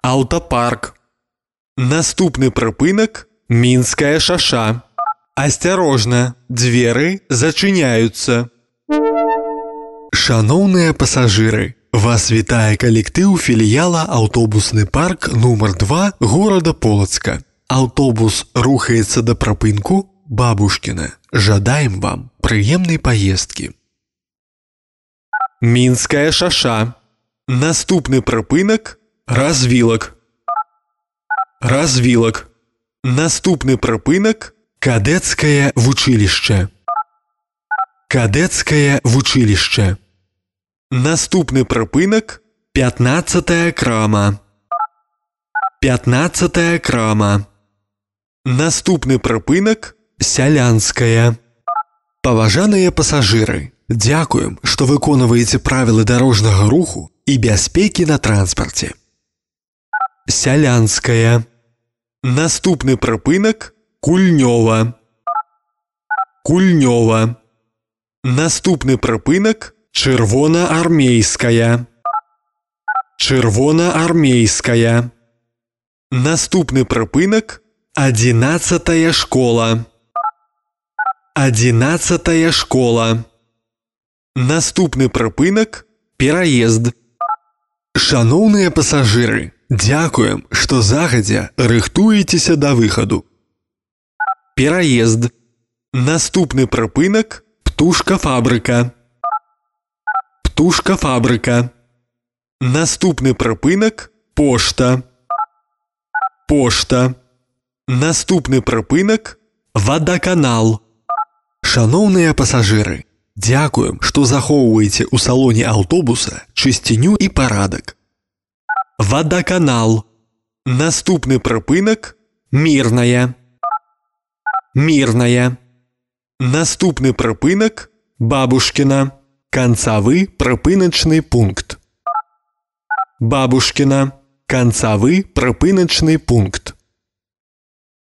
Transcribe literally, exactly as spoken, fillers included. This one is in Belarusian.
Аўтапарк. Наступны прыпынак Мінская шаша. Асцярожна, дзверы зачыняюцца. Шаноўныя пасажыры, вас вітае калектыў філіяла аўтобусны парк нумар два горада Полацка. Аўтобус рухаецца да прыпынку Бабушкіна. Жадаем вам прыемнай паездкі. Мінская шаша. Наступны прыпынак Развілак. Развілак. Наступны прыпынак Кадэцкае вучылішча. Кадэцкае вучылішча. Наступны прыпынак пятнаццатая крама. пятнаццатая крама. Наступны прыпынак Сялянская. Паважаныя пасажыры, дзякуем, што выконваеце правілы дарожнага руху і бяспекі на транспарце. Сялянская. Наступны прыпынак Кульнёва. Кульнёва. Наступны прыпынак Чырвонаармейская. Чырвонаармейская. Наступны прыпынак адзінаццатая школа. адзінаццатая школа. Наступны прыпынак Пераезд. Шаноўныя пасажыры, дзякуем, што загадзя рыхтуецеся да выхаду. Пераезд. Наступны прыпынак Птушкафабрыка. Птушкафабрыка. Наступны прыпынак Пошта. Пошта. Наступны прыпынак Вадаканал. Шаноўныя пасажыры, дзякуем, што захоўваеце ў салоне аўтобуса чысціню і парадак. Вадаканал. Наступны прыпынак Мірная. Мірная. Наступны прыпынак Бабушкіна. Канцавы прыпыначны пункт. Бабушкіна. Канцавы прыпыначны пункт.